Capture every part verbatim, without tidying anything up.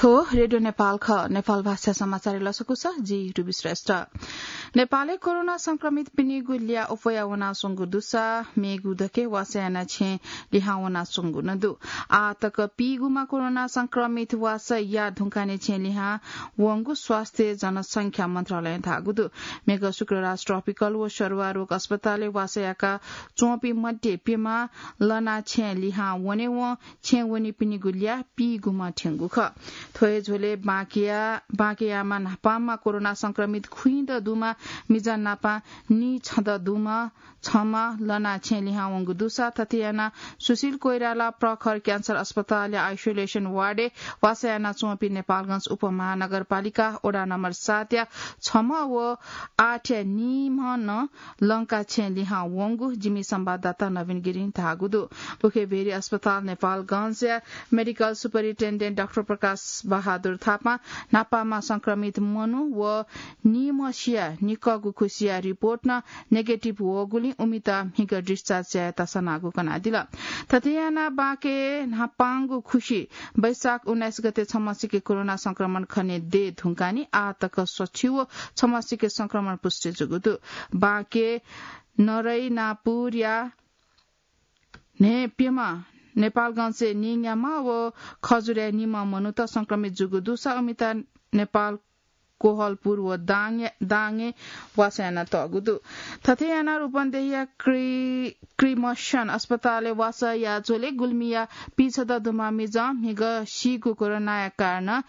थ्व रेडियो नेपाल खः। नेपाल भाषा समाचार लसकुस, जि रुबी श्रेष्ठ। नेपालय् कोरोना संक्रमित पिनिगु ल्याः अप्वया वनाच्वंगु दुसा मेगु दके वासः याना छेँ लिहां वनाच्वंगु नं दु। आः तक पीगुमा कोरोना संक्रमित वासः या धुंकाने छेँ लिहां वंगु स्वास्थ्य जनसंख्या मन्त्रालयं धाःगु दु। मेगु शुक्रराज ट्रपिकल व सरुवा रोग अस्पतालय् वासः याका च्वंपिं मध्ये प्यमा लना छेँ लिहां वनेवं छेँ वनीपिनिगु ल्याः पीगुमा थ्यंगु खः। थ्व हे झ्वलय् बाँकेया, बाँकेयामा न्हापांमा कोरोना संक्रमित खुइँद दुमा मिजं नापं नीछदँ दुमा छमा लना छेँ लिहां वंगु दुसा थथे याना सुशील कोइराला प्रखर क्यान्सर अस्पतालया आइसोलेसन वार्डय् वासः यानाच्वंपिं नेपालगंज उपमहानगरपालिका वडा नम्बर सातया छमा व आठया नीम्ह नं लंका छेँ लिहां वंगु जिमि संवाददाता नवीन गिरिं धाःगु दु। उखे भेरी अस्पताल नेपालगंजया मेडिकल सुपरिन्टेन्डेन्ट डाक्टर प्रकाश बहादुर थापां न्हापांमा संक्रमित मनू व नीम्हसिया निकःगु खुसिया रिपोर्ट नं नेगेटिभ वःगुलिं उमित म्हिगः डिस्चार्ज यायेत सनागु कनादिल। थथे यानाः बाँके न्हापांगु खुसि वैशाख उन्नाइस गते छम्हसिके कोरोना संक्रमण खने दये धुंकानि आः तक सछि व छम्हसिके संक्रमण पुष्टि जूगु दु। बाँके नरैनापुरया न्हय्प्यम्ह, नेपालगंजय् नीन्याम्ह व खजुरय् निम्ह मनूत संक्रमित जूगु दुसा उमित नेपाल कोहलपुर व दाङय्, दाङय् वासः यानातःगु दु। थथे यानाः रूपन्देहीया क्रि-, क्रिमसन अस्पतालय् वासः याः झ्वलय् गुल्मीया पीछदँ दुम्ह मिजं म्हिगः सीगु कोरोनाया कारणं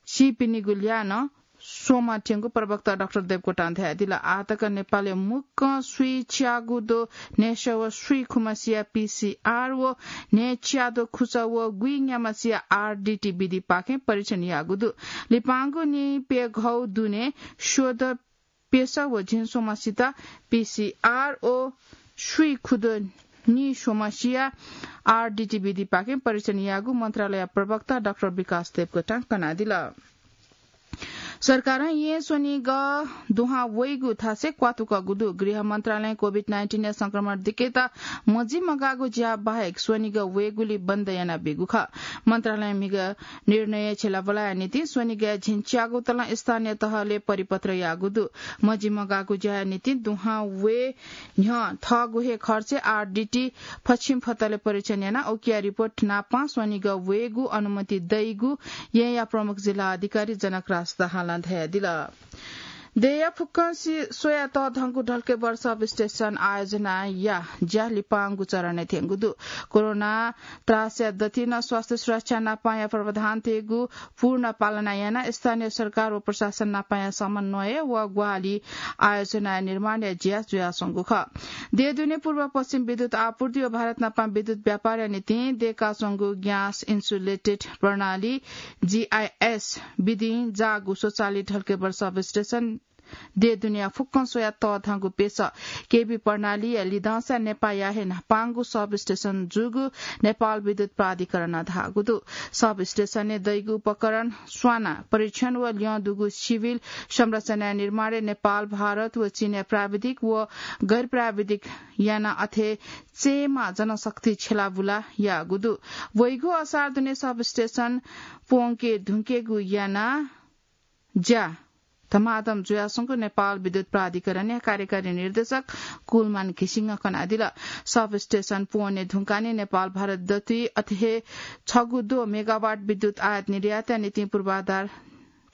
सीपिनिगु ल्याः नं स्वम्ह थ्यंगु प्रवक्ता डाक्टर देवकोटां धयादिल। आः तक नेपालय् मुक्कं स्वीच्यागू दो न्हय्सः व स्वीखुम्हसिया पीसीआर व न्हय्च्यादो खुसः व गुइन्याम्हसिया आरडीटी विधिपाखें परीक्षण याःगु दु। लिपांगु नीप्यघौ दुने स्वदँ प्यसः व झिंस्वम्हसित पीसीआर व स्वीखुदँ नीस्वम्हसिया आरडीटी विधिपाखें परीक्षण याःगु मन्त्रालय प्रवक्ता डाक्टर विकास देवकोटां कनादिल। सरकारं येँ स्वनिगः दुहां वइगु थासय् क्वातुकःगु दु। गृह मन्त्रालयं कोभिड नाइन्टिनया संक्रमण दिकेत मजिमगाःगु ज्या बाहेक स्वनिगः वयेगुलि बन्द यानाबीगु खः। मन्त्रालयं म्हिगः निर्णय छ्यलाबुलाया निंतिं स्वनिगःया झिंच्यागू तलं स्थानीय तहलय् परिपत्र याःगु दु। मजिमगाःगु ज्याया निंतिं दुहां वये न्ह्यः थःगु हे खर्चय् आरडीटी फछिं फतले परीक्षण यानाः उकिया रिपोर्ट नापं स्वनिगः वयेगु अनुमति दइगु येँया प्रमुख जिल्ला अधिकारी जनकराज दाहालं धयादिल। देय्‌या फुक्कं सि-, स्वयाः तःधंगु ढल्केबर सब स्टेशन आयोजनाया ज्या लिपांगु चरणय् थ्यंगु दु। कोरोना त्रासया दथुइ नं स्वास्थ्य सुरक्षा नापंया प्रावधानतय्‌गु पूर्ण पालना यानाः स्थानीय सरकार व प्रशासन नापंया समन्वय व ग्वाहालि आयोजनाया निर्माणया ज्या जुयाच्वंगु खः। देय् दुने पूर्व पश्चिम विद्युत आपूर्ति व भारत नापं विद्युत व्यापारया निंतिं दय्‌काच्वंगु ग्यास इन्सुलेटेड प्रणाली, जीआईएस, विधिं जाःगु स्वचालित ढल्केबर सब स्टेशन देय् दुनेया फुक्कं स्वयाः तःधंगु प्यसः केभी प्रणालीया लिधंसा नेपाःया हे न्हापांगु सब स्टेशन जूगु नेपाल विद्युत प्राधिकरणं धाःगु दु। सब स्टेशनय् दइगु उपकरण स्वानाः परीक्षण व ल्यं दुगु सिभिल संरचनाया निर्माणय् नेपाल, भारत व चीनया प्राविधिक व गैर प्राविधिक यानाः अथे चयेमा जनशक्ति छ्यलाबुला याःगु दु। वइगु असार दुने सब स्टेशन प्वंके धुंकेगु यानाः ज्या धमाधम जुयाच्वंगु नेपाल विद्युत प्राधिकरणया कार्यकारी निर्देशक कुलमान घिसिङं कनादिल। सब स्टेशन प्वने धुंकाः नेपाल भारत दथुइ अथे हे छगू दो मेगावाट विद्युत आयात निर्यातया निंतिं पूर्वाधार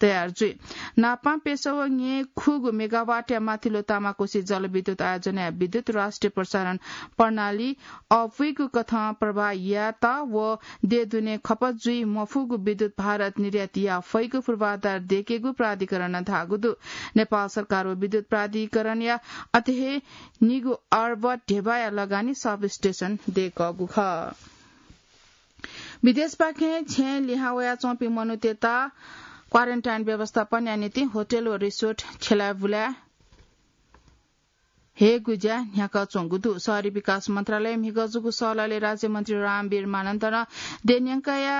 तयार जुइ। नापं प्यसः व न्यय् खुगू मेगावाटया माथिल्लो तामाकोसी जलविद्युत आयोजनाया विद्युत राष्ट्रिय प्रसारण प्रणाली अःपुइगु कथं प्रवाह यायेत व देय् दुने खपत जुइ मफुगु विद्युत भारत निर्यात याये फइगु पूर्वाधार दयेकेगु प्राधिकरणं धाःगु दु। नेपाल सरकार व विद्युत प्राधिकरणया अथे हे निगू अर्ब ध्यबाया लगानी सब स्टेशन दयेकःगु खः। विदेशपाखें छेँय् लिहां वयाच्वंपिं मनूतय्‌त क्वारेन्टाइन व्यवस्थापनया निंतिं होटल व रिसोर्ट छ्यलाबुला हयेगु ज्या न्ह्याकाच्वंगु दु। शहरी विकास मन्त्रालयं म्हिगः जूगु सहलहलय् राज्यमन्त्री रामवीर मानन्धरं देय् न्यंकया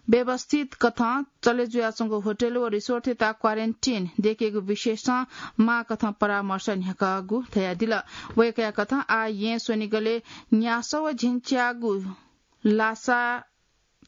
व्यवस्थित कथं चले जुयाच्वंगु होटल व रिसोर्टतय्‌त क्वारेन्टिन दयेकेगु विषयसं माःकथं परामर्श न्ह्याकागु धयादिल। वय्‌कःया कथं आः येँ स्वनिगलय् न्यासः व झिंच्यागू लासा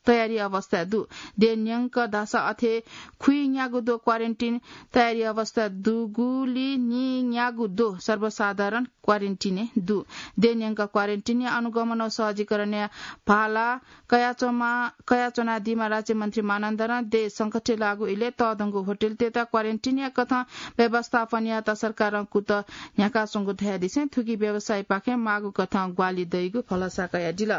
तयारी अवस्था दु। देय् न्यंक धाःसा अथे खुइन्यागू द्वः क्वारेन्टिन तयारी अवस्था दुगुली निन्यागू द्वः सर्वसाधारण क्वारेन्टिनय् दु। देय् न्यंक क्वारेन्टिनया अनुगमन व सहजीकरणया भाला कयाच्वमा-, कयाच्वनादीम्ह राज्यमन्त्री मानन्धरं देय् संकटय् लाःगु इलय् तःधंगु होटलतय्त क्वारेन्टिनया कथं व्यवस्थापन यायेत सरकारं कुतः न्ह्याकाच्वंगु धयादिसें थुकी व्यवसायीपाखें माःगु कथं ग्वाहालि दइगु भलसा कयादिल।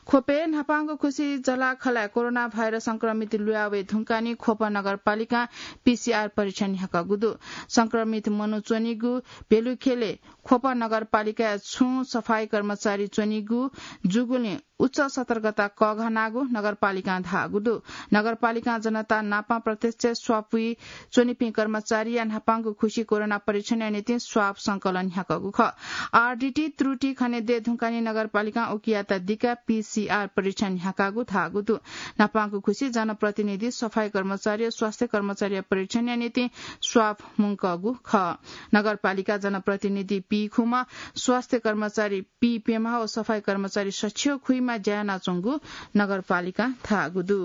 ख्वपय् न्हापांगु खुसी जलाखलाय् कोरोना भाइरस संक्रमित लुया वये धुंकाः नि ख्वप नगरपालिकां पीसीआर परीक्षण न्ह्याकागु दु। संक्रमित मनू च्वनीगु भेलुखेलय् ख्वप नगरपालिकाय् छुं सफाई कर्मचारी च्वनीगु जूगुलिं उच्च सतर्कता कःघानागु नगरपालिकां धाःगु दु। नगरपालिकां जनता नाप प्रत्यक्ष स्वाप वइच्वनीपिं कर्मचारीया न्हापांगु खुसी कोरोना परीक्षणया निंतिं स्वाप संकलन न्ह्याकागु खः। आरडीटी त्रुटि खने दये धुंकाः नि नगरपालिकां उकियात दिकाः पीसीआर परीक्षण न्ह्याकागु धाःगु दु। न्हापांगु खुसी जनप्रतिनिधि, सफाई कर्मचारी व स्वास्थ्य कर्मचारीया परीक्षणया निंतिं स्वाप मुंकागु खः। नगरपालिका जनप्रतिनिधि पीखुम्ह, स्वास्थ्य कर्मचारी पीप्यम्ह व सफाई कर्मचारी सछि व खुइम्ह ज्या यानाच्वंगु नगरपालिकां धाःगु दु।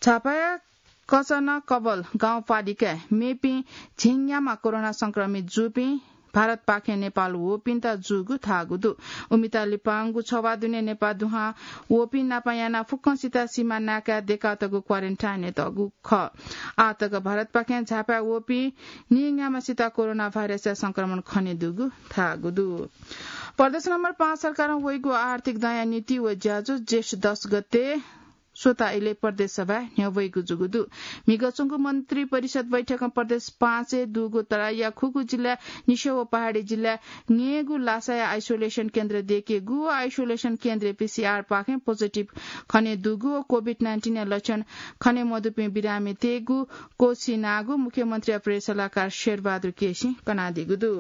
झापाया कचनकबल गाउँपालिकाय् मेपिं झिंन्याम्ह कोरोना संक्रमित जूपिं भारतपाखें नेपाल वःपिन्त जूगु धाःगु दु। उमित लिपांगु छवाः दुने नेपाः दुहां वःपिं नाप यानाः फुक्कसित सीमा नाकाय् दय्कातःगु क्वारेन्टाइनय् तःगु खः। आःतक भारतपाखें झापाय् वःपिं निन्याम्हसित कोरोना भाइरसया संक्रमण खनेदुगु धाःगु दु। प्रदेश नम्बर पाँच सरकारं वइगु आर्थिक दँया नीति व ज्याझ्वः जेष्ठ दस गते स्वता इलय् प्रदेश सभाय् न्ह्यब्वइगु जूगु दु। म्हिगः च्वंगु मन्त्री परिषद बैठकं प्रदेश पाँचय् दुगु तराईया खुगू जिल्लाय् निस्यः व पहाडी जिल्लाय् न्यय्गू लासाया आइसोलेसन केन्द्र दय्केगु व आइसोलेसन केन्द्रय् पीसीआर पाखें पोजिटिभ खनेदुगु व कोभिड नाइन्टिनया लक्षण खने मदुपिं बिरामी तयेगु क्वःछिनागु मुख्यमन्त्रीया प्रेस सल्लाहकार शेरबहादुर केसीं कनादीगु दु।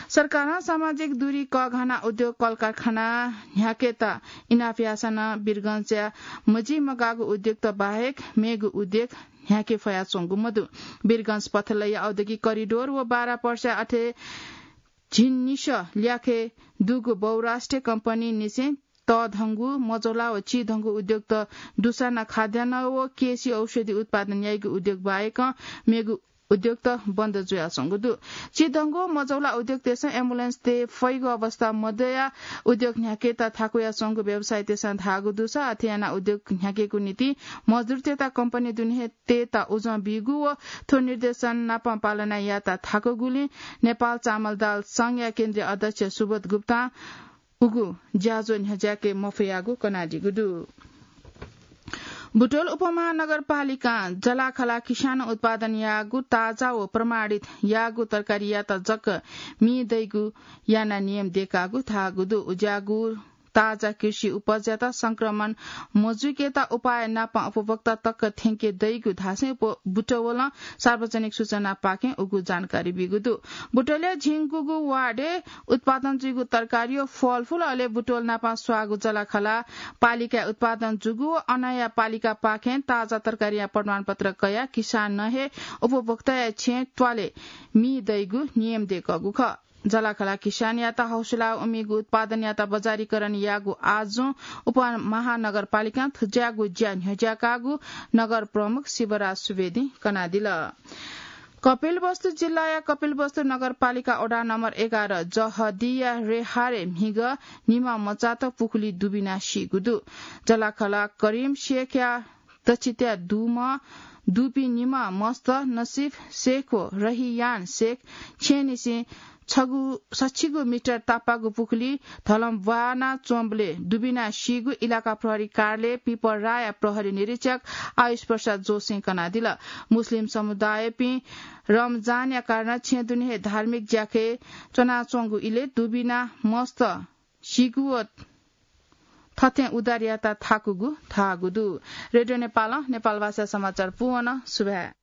सरकारं सामाजिक दूरी कःघाना उद्योग कलकारखाना न्ह्याकेत इनाप याःसां नं वीरगंजया मजिमगाःगु उद्योगत बाहेक मेगु उद्योग न्ह्याके फयाच्वंगु मदु। वीरगंज पथलया औद्योगिक करिडोर व बारा पर्सा अथे झिंनिसः ल्याखय् दुगु बहुराष्ट्रिय कम्पनीनिसें तःधंगु मजौला व चिधंगु उद्योगत दुसाना खाद्यान्न व केसी औषधि उत्पादन याइगु उद्योग बाहेक मेगु उद्योगत बन्द जुयाच्वंगु दु। चिधंगु मजौला उद्योगतय्सं एम्बुलेन्स तये फइगु अवस्था मदया उद्योग न्ह्याकेत थाकुयाच्वंगु व्यवसायीतय्सं धाःगु दुसा अथे यानाः उद्योग न्ह्याकेगु निंतिं मजदुरतय्त कम्पनी दुने हे तयेत उजं बीगु व थ्व निर्देशन नाप पालना यायेत थाकुगुलिं नेपाल चामल दाल संघया केन्द्रीय अध्यक्ष सुबोध गुप्तां उगु ज्याझ्वः न्ह्यज्याके मफयागु कनादीगु दु। बुटवल उपमहानगरपालिकां जलाखला किसान उत्पादन याःगु ताजा व प्रमाणित याःगु तरकारीयात जक मि दइगु याना नियम दय्कागु धाःगु दु। उज्याःगु ताजा कृषि उपजयात संक्रमण मजुइकेत उपाय नाप उपभोक्ता तक थ्यंके दइगु धासें उप-, बुटवलं सार्वजनिक सूचनापाखें उगु जानकारी बीगु दु। बुटवलया झिंगुगु वार्डय् उत्पादन जुइगु तरकारी व फलफुल अले बुटवल नाप स्वाःगु जलाखला पालिकाय् उत्पादन जूगु व अनया पालिकापाखें ताजा तरकारीया प्रमाणपत्र कयाः किसानं हे उपभोक्ताया छेँ त्वालय् मि दइगु नियम दय्कःगु खः। जलाखला किसानयात हौसला उमिगु उत्पादनयात बजारीकरण याःगु आजुं उपमहानगरपालिकां थज्याःगु ज्या न्ह्यज्याकाःगु नगर प्रमुख शिवराज सुवेदीं कनादिल। कपिलवस्तु जिल्लाया कपिलवस्तु नगरपालिका वडा नम्बर एघार जहदिया रेहारे म्हिगः निम्ह मचात पुखुली दुबिना सीगु दु। जलाखला करिम शेखया दच्छि त्या दुम्ह दुपिं निम्ह मस्त नसिफ शेख व रहियान शेख छेँनिसें छगू सछिगू मिटर तापाःगु पुखुली धलम ब्वाना च्वंबलय् दुबिना सीगु इलाका प्रहरी कार्यालय पिपराया प्रहरी निरीक्षक आयुष प्रसाद जोशीं कनादिल। मुस्लिम समुदायपिं रमजानया कारणं छेँ दुने हे धार्मिक ज्याखँय् च्वनाच्वंगु इलय् दुबिना मस्त सीगु व थथें उद्धार यायेत थाकुगु धाःगु दु। रेडियो नेपालं नेपालभाषा समाचार पूवन। सुभाय्।